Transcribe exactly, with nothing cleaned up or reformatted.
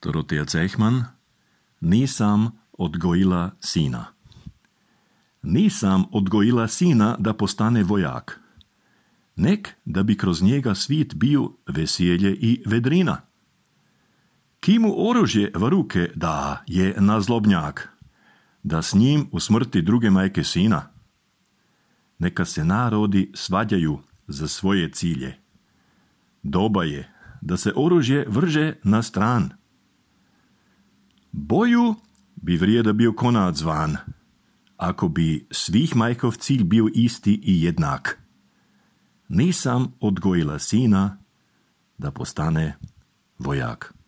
Dorotea Cechman, nisam odgojila sina. Nisam odgojila sina da postane vojak. Nek da bi kroz njega svit bio veselje i vedrina. Ki mu oružje v ruke da je nazlobnjak, da s njim usmrti druge majke sina. Neka se narodi svađaju za svoje cilje. Doba je da se oružje vrže na stran. Boju bi vrijeda bio konad zvan, ako bi svih majkov cilj bio isti i jednak. Nisam odgojila sina da postane vojak.